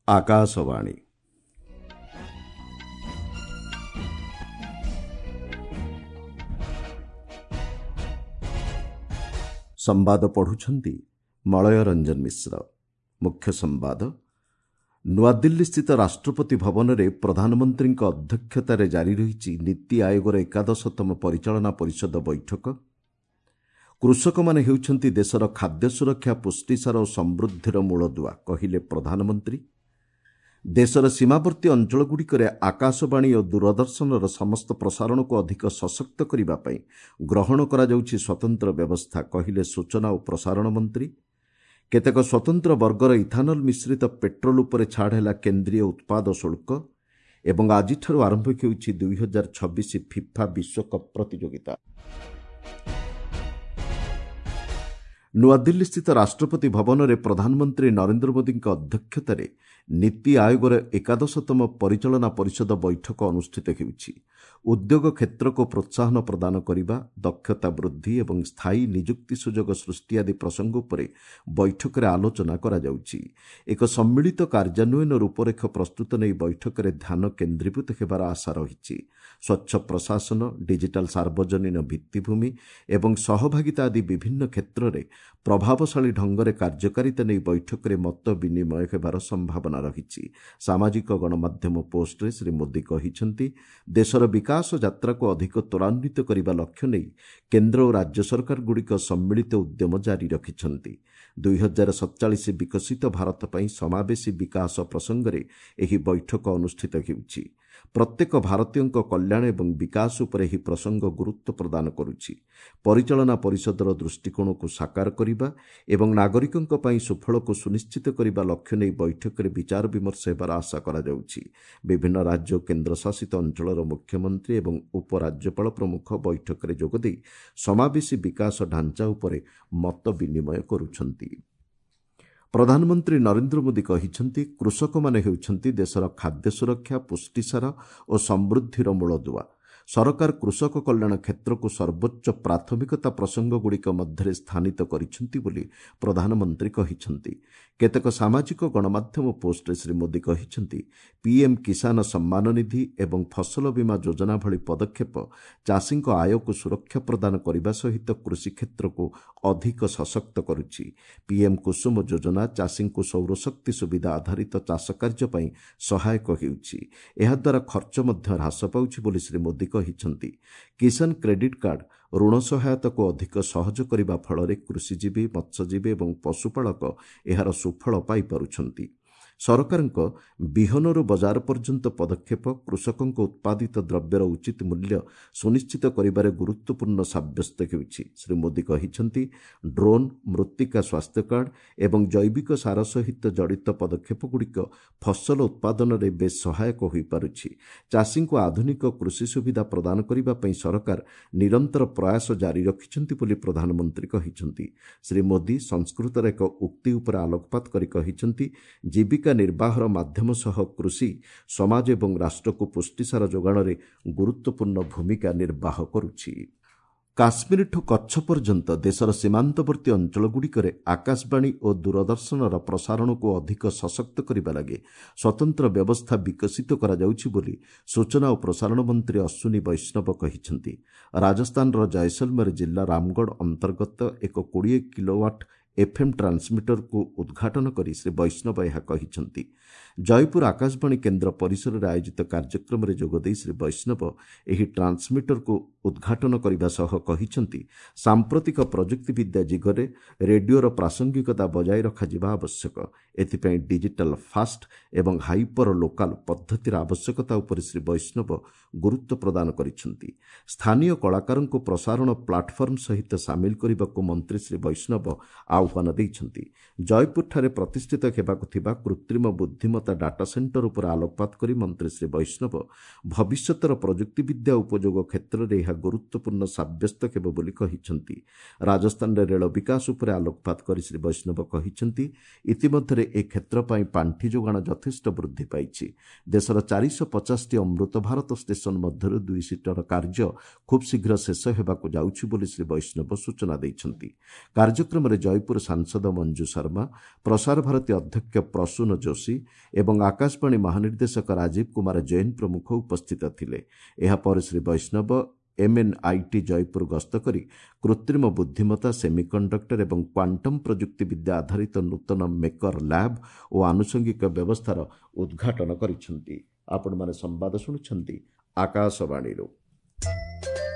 ଆକାଶବାଣୀ। ସମ୍ବାଦ ପଢ଼ୁଛନ୍ତି ମଳୟ ରଞ୍ଜନ ମିଶ୍ର। ମୁଖ୍ୟ ସମ୍ବାଦ। ନୂଆଦିଲ୍ଲୀସ୍ଥିତ ରାଷ୍ଟ୍ରପତି ଭବନରେ ପ୍ରଧାନମନ୍ତ୍ରୀଙ୍କ ଅଧ୍ୟକ୍ଷତାରେ ଜାରି ରହିଛି ନୀତି ଆୟୋଗର 11ତମ ପରିଚାଳନା ପରିଷଦ ବୈଠକ। କୃଷକମାନେ ହେଉଛନ୍ତି ଦେଶର ଖାଦ୍ୟ ସୁରକ୍ଷା, ପୁଷ୍ଟିସାର ଓ ସମୃଦ୍ଧିର ମୂଳଦୁଆ, କହିଲେ ପ୍ରଧାନମନ୍ତ୍ରୀ। ଦେଶର ସୀମାବର୍ତ୍ତୀ ଅଞ୍ଚଳଗୁଡ଼ିକରେ ଆକାଶବାଣୀ ଓ ଦୂରଦର୍ଶନର ସମସ୍ତ ପ୍ରସାରଣକୁ ଅଧିକ ସଶକ୍ତ କରିବା ପାଇଁ ଗ୍ରହଣ କରାଯାଉଛି ସ୍ୱତନ୍ତ୍ର ବ୍ୟବସ୍ଥା, କହିଲେ ସୂଚନା ଓ ପ୍ରସାରଣ ମନ୍ତ୍ରୀ। କେତେକ ସ୍ୱତନ୍ତ୍ର ବର୍ଗର ଇଥାନଲ ମିଶ୍ରିତ ପେଟ୍ରୋଲ ଉପରେ ଛାଡ଼ ହେଲା କେନ୍ଦ୍ରୀୟ ଉତ୍ପାଦ ଶୁଳ୍କ। ଏବଂ ଆଜିଠାରୁ ଆରମ୍ଭ ହେଉଛି 2026 ଫିଫା ବିଶ୍ୱକପ୍ ପ୍ରତିଯୋଗିତା। ନୂଆଦିଲ୍ଲୀସ୍ଥିତ ରାଷ୍ଟ୍ରପତି ଭବନରେ ପ୍ରଧାନମନ୍ତ୍ରୀ ନରେନ୍ଦ୍ର ମୋଦିଙ୍କ ଅଧ୍ୟକ୍ଷତାରେ ନୀତି ଆୟୋଗର 11ତମ ପରିଚାଳନା ପରିଷଦ ବୈଠକ ଅନୁଷ୍ଠିତ ହେଉଛି। ଉଦ୍ୟୋଗ କ୍ଷେତ୍ରକୁ ପ୍ରୋତ୍ସାହନ ପ୍ରଦାନ କରିବା, ଦକ୍ଷତା ବୃଦ୍ଧି ଏବଂ ସ୍ଥାୟୀ ନିଯୁକ୍ତି ସୁଯୋଗ ସୃଷ୍ଟି ଆଦି ପ୍ରସଙ୍ଗ ଉପରେ ବୈଠକରେ ଆଲୋଚନା କରାଯାଉଛି। ଏକ ସମ୍ମିଳିତ କାର୍ଯ୍ୟାନ୍ୱୟନ ରୂପରେଖ ପ୍ରସ୍ତୁତ ନେଇ ବୈଠକରେ ଧ୍ୟାନ କେନ୍ଦ୍ରୀଭୂତ ହେବାର ଆଶା ରହିଛି। ସ୍ୱଚ୍ଛ ପ୍ରଶାସନ, ଡିଜିଟାଲ ସାର୍ବଜନୀନ ଭିତ୍ତିଭୂମି ଏବଂ ସହଭାଗିତା ଆଦି ବିଭିନ୍ନ କ୍ଷେତ୍ରରେ ପ୍ରଭାବଶାଳୀ ଢଙ୍ଗରେ କାର୍ଯ୍ୟକାରିତା ନେଇ ବୈଠକରେ ମତ ବିନିମୟ ହେବାର ସମ୍ଭାବନା ରହିଛି। ସାମାଜିକ ଗଣମାଧ୍ୟମ ପୋଷ୍ଟରେ ଶ୍ରୀ ମୋଦି କହିଛନ୍ତି, ଦେଶର ବିକାଶ ଯାତ୍ରାକୁ ଅଧିକ ତ୍ୱରାନ୍ୱିତ କରିବା ଲକ୍ଷ୍ୟ ନେଇ କେନ୍ଦ୍ର ଓ ରାଜ୍ୟ ସରକାରଗୁଡ଼ିକ ସମ୍ମିଳିତ ଉଦ୍ୟମ ଜାରି ରଖିଛନ୍ତି। 2047 ବିକଶିତ ଭାରତ ପାଇଁ ସମାବେଶୀ ବିକାଶ ପ୍ରସଙ୍ଗରେ ଏହି ବୈଠକ ଅନୁଷ୍ଠିତ ହେଉଛି। ପ୍ରତ୍ୟେକ ଭାରତୀୟଙ୍କ କଲ୍ୟାଣ ଏବଂ ବିକାଶ ଉପରେ ଏହି ପ୍ରସଙ୍ଗ ଗୁରୁତ୍ୱ ପ୍ରଦାନ କରୁଛି। ପରିଚାଳନା ପରିଷଦର ଦୃଷ୍ଟିକୋଣକୁ ସାକାର କରିବା ଏବଂ ନାଗରିକଙ୍କ ପାଇଁ ସୁଫଳକୁ ସୁନିଶ୍ଚିତ କରିବା ଲକ୍ଷ୍ୟ ନେଇ ବୈଠକରେ ବିଚାର ବିମର୍ଶ ହେବାର ଆଶା କରାଯାଉଛି। ବିଭିନ୍ନ ରାଜ୍ୟ ଓ କେନ୍ଦ୍ରଶାସିତ ଅଞ୍ଚଳର ମୁଖ୍ୟମନ୍ତ୍ରୀ ଏବଂ ଉପରାଜ୍ୟପାଳ ପ୍ରମୁଖ ବୈଠକରେ ଯୋଗଦେଇ ସମାବେଶୀ ବିକାଶ ଢାଞ୍ଚା ଉପରେ ମତ ବିନିମୟ କରୁଛନ୍ତି। ପ୍ରଧାନମନ୍ତ୍ରୀ ନରେନ୍ଦ୍ର ମୋଦି କହିଛନ୍ତି, କୃଷକମାନେ ହେଉଛନ୍ତି ଦେଶର ଖାଦ୍ୟ ସୁରକ୍ଷା, ପୁଷ୍ଟିସାର ଓ ସମୃଦ୍ଧିର ମୂଳଦୁଆ। ସରକାର କୃଷକ କଲ୍ୟାଣ କ୍ଷେତ୍ରକୁ ସର୍ବୋଚ୍ଚ ପ୍ରାଥମିକତା ପ୍ରସଙ୍ଗଗୁଡ଼ିକ ମଧ୍ୟରେ ସ୍ଥାନିତ କରିଛନ୍ତି ବୋଲି ପ୍ରଧାନମନ୍ତ୍ରୀ କହିଛନ୍ତି। କେତେକ ସାମାଜିକ ଗଣମାଧ୍ୟମ ପୋଷ୍ଟରେ ଶ୍ରୀ ମୋଦି କହିଛନ୍ତି, ପିଏମ୍ କିଷାନ ସମ୍ମାନ ନିଧି ଏବଂ ଫସଲ ବୀମା ଯୋଜନା ଭଳି ପଦକ୍ଷେପ ଚାଷୀଙ୍କ ଆୟକୁ ସୁରକ୍ଷା ପ୍ରଦାନ କରିବା ସହିତ କୃଷି କ୍ଷେତ୍ରକୁ ଅଧିକ ସଶକ୍ତ କରୁଛି। ପିଏମ୍ କୁସୁମ ଯୋଜନା ଚାଷୀଙ୍କୁ ସୌରଶକ୍ତି ସୁବିଧା ଆଧାରିତ ଚାଷ କାର୍ଯ୍ୟ ପାଇଁ ସହାୟକ ହେଉଛି। ଏହାଦ୍ୱାରା ଖର୍ଚ୍ଚ ମଧ୍ୟ ହ୍ରାସ ପାଉଛି ବୋଲି ଶ୍ରୀ ମୋଦି କହିଛନ୍ତି। କିଷାନ କ୍ରେଡିଟ୍ କାର୍ଡ ଋଣ ସହାୟତାକୁ ଅଧିକ ସହଜ କରିବା ଫଳରେ କୃଷିଜୀବୀ, ମତ୍ସ୍ୟଜୀବୀ ଏବଂ ପଶୁପାଳକ ଏହାର ସୁଫଳ ପାଇପାରୁଛନ୍ତି। ସରକାରଙ୍କ ବିହନରୁ ବଜାର ପର୍ଯ୍ୟନ୍ତ ପଦକ୍ଷେପ କୃଷକଙ୍କ ଉତ୍ପାଦିତ ଦ୍ରବ୍ୟର ଉଚିତ ମୂଲ୍ୟ ସୁନିଶ୍ଚିତ କରିବାରେ ଗୁରୁତ୍ୱପୂର୍ଣ୍ଣ ସାବ୍ୟସ୍ତ ହେଉଛି। ଶ୍ରୀ ମୋଦି କହିଛନ୍ତି, ଡ୍ରୋନ୍, ମୃତ୍ତିକା ସ୍ୱାସ୍ଥ୍ୟ କାର୍ଡ ଏବଂ ଜୈବିକ ସାର ସହିତ ଜଡ଼ିତ ପଦକ୍ଷେପଗୁଡ଼ିକ ଫସଲ ଉତ୍ପାଦନରେ ବେଶ୍ ସହାୟକ ହୋଇପାରୁଛି। ଚାଷୀଙ୍କୁ ଆଧୁନିକ କୃଷି ସୁବିଧା ପ୍ରଦାନ କରିବା ପାଇଁ ସରକାର ନିରନ୍ତର ପ୍ରୟାସ ଜାରି ରଖିଛନ୍ତି ବୋଲି ପ୍ରଧାନମନ୍ତ୍ରୀ କହିଛନ୍ତି। ଶ୍ରୀ ମୋଦି ସଂସ୍କୃତର ଏକ ଉକ୍ତି ଉପରେ ଆଲୋକପାତ କରି କହିଛନ୍ତି, ଜୀବିକା ନିର୍ବାହର ମାଧ୍ୟମ ସହ କୃଷି ସମାଜ ଏବଂ ରାଷ୍ଟ୍ରକୁ ପୁଷ୍ଟିସାର ଯୋଗାଣରେ ଗୁରୁତ୍ୱପୂର୍ଣ୍ଣ ଭୂମିକା ନିର୍ବାହ କରୁଛି। କାଶ୍ମୀରଠୁ କଚ୍ଛ ପର୍ଯ୍ୟନ୍ତ ଦେଶର ସୀମାନ୍ତବର୍ତ୍ତୀ ଅଞ୍ଚଳଗୁଡ଼ିକରେ ଆକାଶବାଣୀ ଓ ଦୂରଦର୍ଶନର ପ୍ରସାରଣକୁ ଅଧିକ ସଶକ୍ତ କରିବା ଲାଗି ସ୍ୱତନ୍ତ୍ର ବ୍ୟବସ୍ଥା ବିକଶିତ କରାଯାଉଛି ବୋଲି ସୂଚନା ଓ ପ୍ରସାରଣ ମନ୍ତ୍ରୀ ଅଶ୍ୱିନୀ ବୈଷ୍ଣବ କହିଛନ୍ତି। ରାଜସ୍ଥାନର ଜୟସଲମେର ଜିଲ୍ଲା ରାମଗଡ଼ ଅନ୍ତର୍ଗତ ଏକ 20 କିଲୋୱାଟ୍ ଏଫ୍ଏମ୍ ଟ୍ରାନ୍ସମିଟରକୁ ଉଦ୍ଘାଟନ କରି ଶ୍ରୀ ବୈଷ୍ଣବ ଏହା କହିଛନ୍ତି। ଜୟପୁର ଆକାଶବାଣୀ କେନ୍ଦ୍ର ପରିସରରେ ଆୟୋଜିତ କାର୍ଯ୍ୟକ୍ରମରେ ଯୋଗଦେଇ ଶ୍ରୀ ବୈଷ୍ଣବ ଏହି ଟ୍ରାନ୍ସମିଟରକୁ ଉଦ୍ଘାଟନ କରିବା ସହ କହିଛନ୍ତି, ସାମ୍ପ୍ରତିକ ପ୍ରଯୁକ୍ତିବିଦ୍ୟା ଯୁଗରେ ରେଡିଓର ପ୍ରାସଙ୍ଗିକତା ବଜାୟ ରଖାଯିବା ଆବଶ୍ୟକ। ଏଥିପାଇଁ ଡିଜିଟାଲ ଫାଷ୍ଟ ଏବଂ ହାଇପର ଲୋକାଲ ପଦ୍ଧତିର ଆବଶ୍ୟକତା ଉପରେ ଶ୍ରୀ ବୈଷ୍ଣବ ଗୁରୁତ୍ୱ ପ୍ରଦାନ କରିଛନ୍ତି। ସ୍ଥାନୀୟ କଳାକାରଙ୍କୁ ପ୍ରସାରଣ ପ୍ଲାଟଫର୍ମ ସହିତ ସାମିଲ କରିବାକୁ ମନ୍ତ୍ରୀ ଶ୍ରୀ ବୈଷ୍ଣବ ଆହ୍ୱାନ ଦେଇଛନ୍ତି। ଜୟପୁରଠାରେ ପ୍ରତିଷ୍ଠିତ ହେବାକୁ ଥିବା କୃତ୍ରିମ ବୁଦ୍ଧିମତ୍ତା ଡାଟା ସେଣ୍ଟର ଉପରେ ଆଲୋକପାତ କରି ମନ୍ତ୍ରୀ ଶ୍ରୀ ବୈଷ୍ଣବ ଭବିଷ୍ୟତର ପ୍ରଯୁକ୍ତିବିଦ୍ୟା ଉପଯୋଗ କ୍ଷେତ୍ରରେ ଏହା ଗୁରୁତ୍ୱପୂର୍ଣ୍ଣ ସାବ୍ୟସ୍ତ ହେବ ବୋଲି କହିଛନ୍ତି। ରାଜସ୍ଥାନରେ ରେଳ ବିକାଶ ଉପରେ ଆଲୋକପାତ କରି ଶ୍ରୀ ବୈଷ୍ଣବ କହିଛନ୍ତି, ଇତିମଧ୍ୟରେ ଏ କ୍ଷେତ୍ର ପାଇଁ ପାଣ୍ଠି ଯୋଗାଣ ଯଥେଷ୍ଟ ବୃଦ୍ଧି ପାଇଛି। ଦେଶର 450ଟି ଅମୃତ ଭାରତ ଷ୍ଟେସନ ମଧ୍ୟରୁ 2 ସିଟର କାର୍ଯ୍ୟ ଖୁବ୍ ଶୀଘ୍ର ଶେଷ ହେବାକୁ ଯାଉଛି ବୋଲି ଶ୍ରୀ ବୈଷ୍ଣବ ସୂଚନା ଦେଇଛନ୍ତି। କାର୍ଯ୍ୟକ୍ରମରେ ଜୟପୁର ସାଂସଦ ମଞ୍ଜୁ ଶର୍ମା, ପ୍ରସାର ଭାରତୀ ଅଧ୍ୟକ୍ଷ ପ୍ରସୂନ ଯୋଶୀ ଏବଂ ଆକାଶବାଣୀ ମହାନିର୍ଦ୍ଦେଶକ ରାଜୀବ କୁମାର ଜୈନ ପ୍ରମୁଖ ଉପସ୍ଥିତ ଥିଲେ। ଏହାପରେ ଶ୍ରୀ ବୈଷ୍ଣବ ଏମ୍ଏନ୍ଆଇଟି ଜୟପୁର ଗସ୍ତ କରି କୃତ୍ରିମ ବୁଦ୍ଧିମତ୍ତା, ସେମିକଣ୍ଡକ୍ଟର ଏବଂ କ୍ୱାଣ୍ଟମ୍ ପ୍ରଯୁକ୍ତିବିଦ୍ୟା ଆଧାରିତ ନୂତନ ମେକର ଲ୍ୟାବ୍ ଓ ଆନୁଷଙ୍ଗିକ ବ୍ୟବସ୍ଥାର ଉଦ୍ଘାଟନ କରିଛନ୍ତି। ଆପଣମାନେ ସମ୍ବାଦ ଶୁଣୁଛନ୍ତି ଆକାଶବାଣୀରୁ।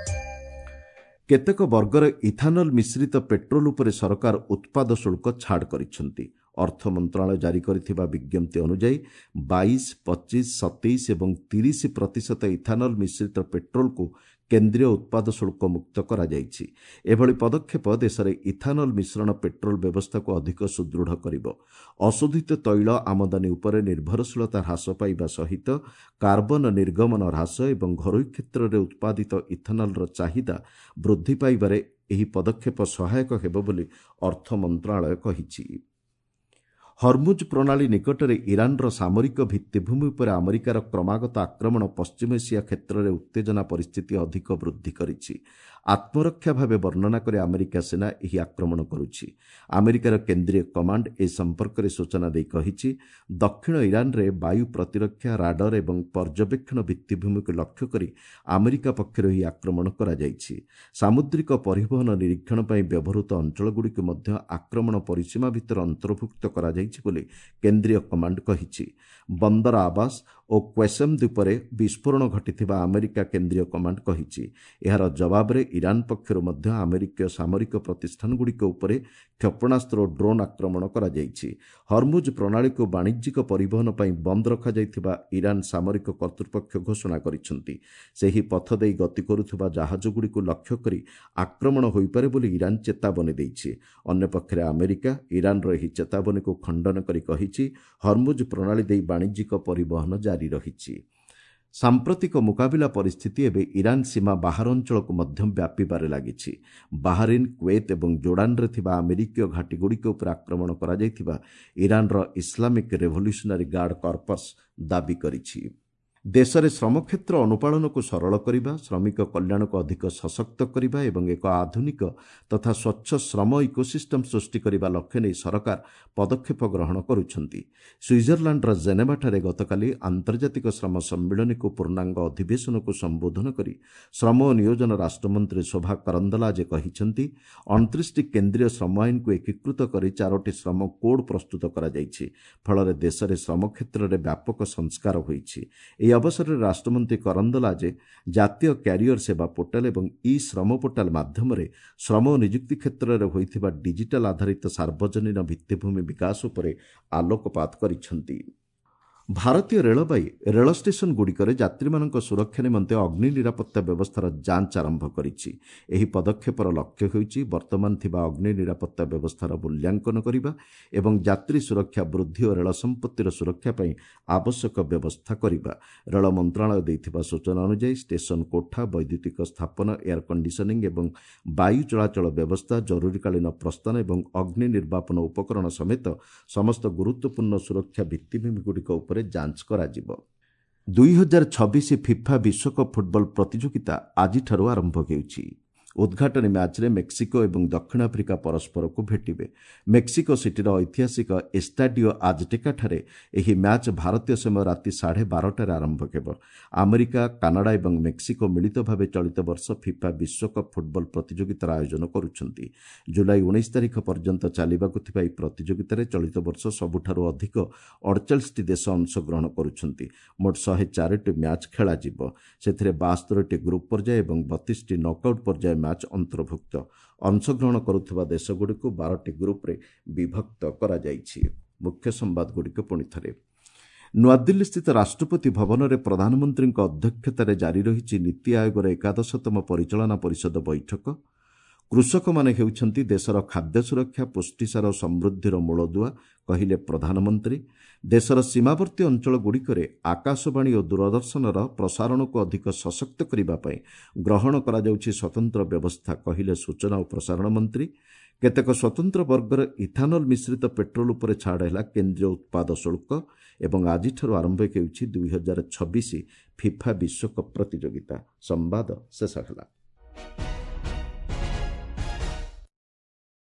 କେତେକ ବର୍ଗର ଇଥାନଲ ମିଶ୍ରିତ ପେଟ୍ରୋଲ ଉପରେ ସରକାର ଉତ୍ପାଦ ଶୁଳ୍କ ଛାଡ଼ କରିଛନ୍ତି। ଅର୍ଥ ମନ୍ତ୍ରଣାଳୟ ଜାରି କରିଥିବା ବିଜ୍ଞପ୍ତି ଅନୁଯାୟୀ 22, 25, 27 ଏବଂ 30% ଇଥାନଲ ମିଶ୍ରିତ ପେଟ୍ରୋଲକୁ କେନ୍ଦ୍ରୀୟ ଉତ୍ପାଦ ଶୁଳ୍କ ମୁକ୍ତ କରାଯାଇଛି। ଏଭଳି ପଦକ୍ଷେପ ଦେଶରେ ଇଥାନଲ ମିଶ୍ରଣ ପେଟ୍ରୋଲ ବ୍ୟବସ୍ଥାକୁ ଅଧିକ ସୁଦୃଢ଼ କରିବ। ଅଶୋଧିତ ତୈଳ ଆମଦାନୀ ଉପରେ ନିର୍ଭରଶୀଳତା ହ୍ରାସ ପାଇବା ସହିତ କାର୍ବନ ନିର୍ଗମନ ହ୍ରାସ ଏବଂ ଘରୋଇ କ୍ଷେତ୍ରରେ ଉତ୍ପାଦିତ ଇଥାନଲର ଚାହିଦା ବୃଦ୍ଧି ପାଇବାରେ ଏହି ପଦକ୍ଷେପ ସହାୟକ ହେବ ବୋଲି ଅର୍ଥ ମନ୍ତ୍ରଣାଳୟ କହିଛି। ହର୍ମୁଜ୍ ପ୍ରଣାଳୀ ନିକଟରେ ଇରାନର ସାମରିକ ଭିତ୍ତିଭୂମି ଉପରେ ଆମେରିକାର କ୍ରମାଗତ ଆକ୍ରମଣ ପଶ୍ଚିମ ଏସିଆ କ୍ଷେତ୍ରରେ ଉତ୍ତେଜନା ପରିସ୍ଥିତି ଅଧିକ ବୃଦ୍ଧି କରିଛି। ଆତ୍ମରକ୍ଷା ଭାବେ ବର୍ଣ୍ଣନା କରି ଆମେରିକା ସେନା ଏହି ଆକ୍ରମଣ କରୁଛି। ଆମେରିକାର କେନ୍ଦ୍ରୀୟ କମାଣ୍ଡ ଏ ସମ୍ପର୍କରେ ସୂଚନା ଦେଇ କହିଛି, ଦକ୍ଷିଣ ଇରାନରେ ବାୟୁ ପ୍ରତିରକ୍ଷା, ରାଡର ଏବଂ ପର୍ଯ୍ୟବେକ୍ଷଣ ଭିତ୍ତିଭୂମିକୁ ଲକ୍ଷ୍ୟ କରି ଆମେରିକା ପକ୍ଷରୁ ଏହି ଆକ୍ରମଣ କରାଯାଇଛି। ସାମୁଦ୍ରିକ ପରିବହନ ନିରୀକ୍ଷଣ ପାଇଁ ବ୍ୟବହୃତ ଅଞ୍ଚଳଗୁଡ଼ିକୁ ମଧ୍ୟ ଆକ୍ରମଣ ପରିସୀମା ଭିତରେ ଅନ୍ତର୍ଭୁକ୍ତ କରାଯାଇଛି ବୋଲି କେନ୍ଦ୍ରୀୟ କମାଣ୍ଡ କହିଛି। ବନ୍ଦର ଆବାସ ଓ କ୍ୱେସମ୍ ଦ୍ୱୀପରେ ବିସ୍ଫୋରଣ ଘଟିଥିବା ଆମେରିକା କେନ୍ଦ୍ରୀୟ କମାଣ୍ଡ କହିଛି। ଏହାର ଜବାବରେ ଇରାନ ପକ୍ଷରୁ ମଧ୍ୟ ଆମେରିକୀୟ ସାମରିକ ପ୍ରତିଷ୍ଠାନଗୁଡ଼ିକ ଉପରେ କ୍ଷେପଣାସ୍ତ୍ର ଓ ଡ୍ରୋନ୍ ଆକ୍ରମଣ କରାଯାଇଛି। ହର୍ମୁଜ୍ ପ୍ରଣାଳୀକୁ ବାଣିଜ୍ୟିକ ପରିବହନ ପାଇଁ ବନ୍ଦ ରଖାଯାଇଥିବା ଇରାନ ସାମରିକ କର୍ତ୍ତୃପକ୍ଷ ଘୋଷଣା କରିଛନ୍ତି। ସେହି ପଥ ଦେଇ ଗତି କରୁଥିବା ଜାହାଜଗୁଡ଼ିକୁ ଲକ୍ଷ୍ୟ କରି ଆକ୍ରମଣ ହୋଇପାରେ ବୋଲି ଇରାନ ଚେତାବନୀ ଦେଇଛି। ଅନ୍ୟପକ୍ଷରେ ଆମେରିକା ଇରାନର ଏହି ଚେତାବନୀକୁ ଖଣ୍ଡନ କରି କହିଛି, ହର୍ମୁଜ୍ ପ୍ରଣାଳୀ ଦେଇ ବାଣିଜ୍ୟିକ ପରିବହନ ଜାରି ରହିଛି। ସାମ୍ପ୍ରତିକ ମୁକାବିଲା ପରିସ୍ଥିତି ଏବେ ଇରାନ ସୀମା ବାହାର ଅଞ୍ଚଳକୁ ମଧ୍ୟ ବ୍ୟାପିବାରେ ଲାଗିଛି। ବାହାରିନ୍, କୁଏତ ଏବଂ ଜୋର୍ଡାନରେ ଥିବା ଆମେରିକୀୟ ଘାଟିଗୁଡ଼ିକ ଉପରେ ଆକ୍ରମଣ କରାଯାଇଥିବା ଇରାନର ଇସଲାମିକ୍ ରେଭଲ୍ୟୁସନାରୀ ଗାର୍ଡ କର୍ପସ୍ ଦାବି କରିଛି। ଦେଶରେ ଶ୍ରମକ୍ଷେତ୍ର ଅନୁପାଳନକୁ ସରଳ କରିବା, ଶ୍ରମିକ କଲ୍ୟାଣକୁ ଅଧିକ ସଶକ୍ତ କରିବା ଏବଂ ଏକ ଆଧୁନିକ ତଥା ସ୍ୱଚ୍ଛ ଶ୍ରମ ଇକୋସିଷ୍ଟମ୍ ସୃଷ୍ଟି କରିବା ଲକ୍ଷ୍ୟ ନେଇ ସରକାର ପଦକ୍ଷେପ ଗ୍ରହଣ କରୁଛନ୍ତି। ସୁଇଜରଲାଣ୍ଡର ଜେନେଭାଠାରେ ଗତକାଲି ଆନ୍ତର୍ଜାତିକ ଶ୍ରମ ସମ୍ମିଳନୀକୁ ପୂର୍ଣ୍ଣାଙ୍ଗ ଅଧିବେଶନକୁ ସମ୍ବୋଧନ କରି ଶ୍ରମ ଓ ନିୟୋଜନ ରାଷ୍ଟ୍ରମନ୍ତ୍ରୀ ଶୋଭା କରନ୍ଦଲାଜେ କହିଛନ୍ତି, 29ଟି କେନ୍ଦ୍ରୀୟ ଶ୍ରମ ଆଇନକୁ ଏକୀକୃତ କରି 4ଟି ଶ୍ରମ କୋଡ୍ ପ୍ରସ୍ତୁତ କରାଯାଇଛି। ଫଳରେ ଦେଶରେ ଶ୍ରମ କ୍ଷେତ୍ରରେ ବ୍ୟାପକ ସଂସ୍କାର ହୋଇଛି। ଏହି ଅବସରରେ ରାଷ୍ଟ୍ରମନ୍ତ୍ରୀ କରନ୍ଦଲାଜେ ଜାତୀୟ କ୍ୟାରିୟର ସେବା ପୋର୍ଟାଲ ଏବଂ ଇ ଶ୍ରମ ପୋର୍ଟାଲ ମାଧ୍ୟମରେ ଶ୍ରମ ଓ ନିଯୁକ୍ତି କ୍ଷେତ୍ରରେ ହୋଇଥିବା ଡିଜିଟାଲ ଆଧାରିତ ସାର୍ବଜନୀନ ଭିତ୍ତିଭୂମି ବିକାଶ ଉପରେ ଆଲୋକପାତ କରିଛନ୍ତି। ଭାରତୀୟ ରେଳବାଇ ରେଳ ଷ୍ଟେସନଗୁଡ଼ିକରେ ଯାତ୍ରୀମାନଙ୍କ ସୁରକ୍ଷା ନିମନ୍ତେ ଅଗ୍ନି ନିରାପତ୍ତା ବ୍ୟବସ୍ଥାର ଯାଞ୍ଚ ଆରମ୍ଭ କରିଛି। ଏହି ପଦକ୍ଷେପର ଲକ୍ଷ୍ୟ ହେଉଛି ବର୍ତ୍ତମାନ ଥିବା ଅଗ୍ନି ନିରାପତ୍ତା ବ୍ୟବସ୍ଥାର ମୂଲ୍ୟାଙ୍କନ କରିବା ଏବଂ ଯାତ୍ରୀ ସୁରକ୍ଷା ବୃଦ୍ଧି ଓ ରେଳ ସମ୍ପତ୍ତିର ସୁରକ୍ଷା ପାଇଁ ଆବଶ୍ୟକ ବ୍ୟବସ୍ଥା କରିବା। ରେଳ ମନ୍ତ୍ରଣାଳୟ ଦେଇଥିବା ସୂଚନା ଅନୁଯାୟୀ ଷ୍ଟେସନ କୋଠା, ବୈଦ୍ୟୁତିକ ସ୍ଥାପନ, ଏୟାର କଣ୍ଡିସନିଂ ଏବଂ ବାୟୁ ଚଳାଚଳ ବ୍ୟବସ୍ଥା, ଜରୁରୀକାଳୀନ ପ୍ରସ୍ଥାନ ଏବଂ ଅଗ୍ନି ନିର୍ବାପନ ଉପକରଣ ସମେତ ସମସ୍ତ ଗୁରୁତ୍ୱପୂର୍ଣ୍ଣ ସୁରକ୍ଷା ଭିତ୍ତିଭୂମିଗୁଡ଼ିକ ଉପରେ ଯାଞ୍ଚ କରାଯିବ। 2026 ଫିଫା ବିଶ୍ୱକପ୍ ଫୁଟବଲ ପ୍ରତିଯୋଗିତା ଆଜିଠାରୁ ଆରମ୍ଭ ହେଉଛି। ଉଦ୍ଘାଟନୀ ମ୍ୟାଚ୍ରେ ମେକ୍ସିକୋ ଏବଂ ଦକ୍ଷିଣ ଆଫ୍ରିକା ପରସ୍ପରକୁ ଭେଟିବେ। ମେକ୍ସିକୋ ସିଟିର ଐତିହାସିକ ଏଷ୍ଟାଡିଓ ଆଜଟେକାଠାରେ ଏହି ମ୍ୟାଚ୍ ଭାରତୀୟ ସମୟ ରାତି 12:30ରେ ଆରମ୍ଭ ହେବ। ଆମେରିକା, କାନାଡା ଏବଂ ମେକ୍ସିକୋ ମିଳିତ ଭାବେ ଚଳିତ ବର୍ଷ ଫିଫା ବିଶ୍ୱକପ୍ ଫୁଟବଲ ପ୍ରତିଯୋଗିତାର ଆୟୋଜନ କରୁଛନ୍ତି। ଜୁଲାଇ 19 ତାରିଖ ପର୍ଯ୍ୟନ୍ତ ଚାଲିବାକୁ ଥିବା ଏହି ପ୍ରତିଯୋଗିତାରେ ଚଳିତ ବର୍ଷ ସବୁଠାରୁ ଅଧିକ 48ଟି ଦେଶ ଅଂଶଗ୍ରହଣ କରୁଛନ୍ତି। ମୋଟ 104ଟି ମ୍ୟାଚ୍ ଖେଳାଯିବ। ସେଥିରେ 72ଟି ଗ୍ରୁପ୍ ପର୍ଯ୍ୟାୟ ଏବଂ 32ଟି ନକ୍ଆଉଟ୍ ପର୍ଯ୍ୟାୟ ମ୍ୟାଚ୍ ଅନ୍ତର୍ଭୁକ୍ତ। ଅଂଶଗ୍ରହଣ କରୁଥିବା ଦେଶଗୁଡ଼ିକୁ 12ଟି ଗ୍ରୁପ୍ରେ ବିଭକ୍ତ କରାଯାଇଛି। ମୁଖ୍ୟ ସମ୍ବାଦଗୁଡ଼ିକ ପୁଣି ଥରେ। ନୂଆଦିଲ୍ଲୀସ୍ଥିତ ରାଷ୍ଟ୍ରପତି ଭବନରେ ପ୍ରଧାନମନ୍ତ୍ରୀଙ୍କ ଅଧ୍ୟକ୍ଷତାରେ ଜାରି ରହିଛି ନୀତି ଆୟୋଗର 11ତମ ପରିଚାଳନା ପରିଷଦ ବୈଠକ। କୃଷକମାନେ ହେଉଛନ୍ତି ଦେଶର ଖାଦ୍ୟ ସୁରକ୍ଷା, ପୁଷ୍ଟିସାର ଓ ସମୃଦ୍ଧିର ମୂଳଦୁଆ, କହିଲେ ପ୍ରଧାନମନ୍ତ୍ରୀ। ଦେଶର ସୀମାବର୍ତ୍ତୀ ଅଞ୍ଚଳଗୁଡ଼ିକରେ ଆକାଶବାଣୀ ଓ ଦୂରଦର୍ଶନର ପ୍ରସାରଣକୁ ଅଧିକ ସଶକ୍ତ କରିବା ପାଇଁ ଗ୍ରହଣ କରାଯାଉଛି ସ୍ୱତନ୍ତ୍ର ବ୍ୟବସ୍ଥା, କହିଲେ ସୂଚନା ଓ ପ୍ରସାରଣ ମନ୍ତ୍ରୀ। କେତେକ ସ୍ୱତନ୍ତ୍ର ବର୍ଗର ଇଥାନଲ ମିଶ୍ରିତ ପେଟ୍ରୋଲ ଉପରେ ଛାଡ଼ ହେଲା କେନ୍ଦ୍ରୀୟ ଉତ୍ପାଦ ଶୁଳ୍କ। ଏବଂ ଆଜିଠାରୁ ଆରମ୍ଭ ହେଉଛି 2026 ଫିଫା ବିଶ୍ୱକପ୍ ପ୍ରତିଯୋଗିତା। ସମ୍ବାଦ ଶେଷ ହେଲା।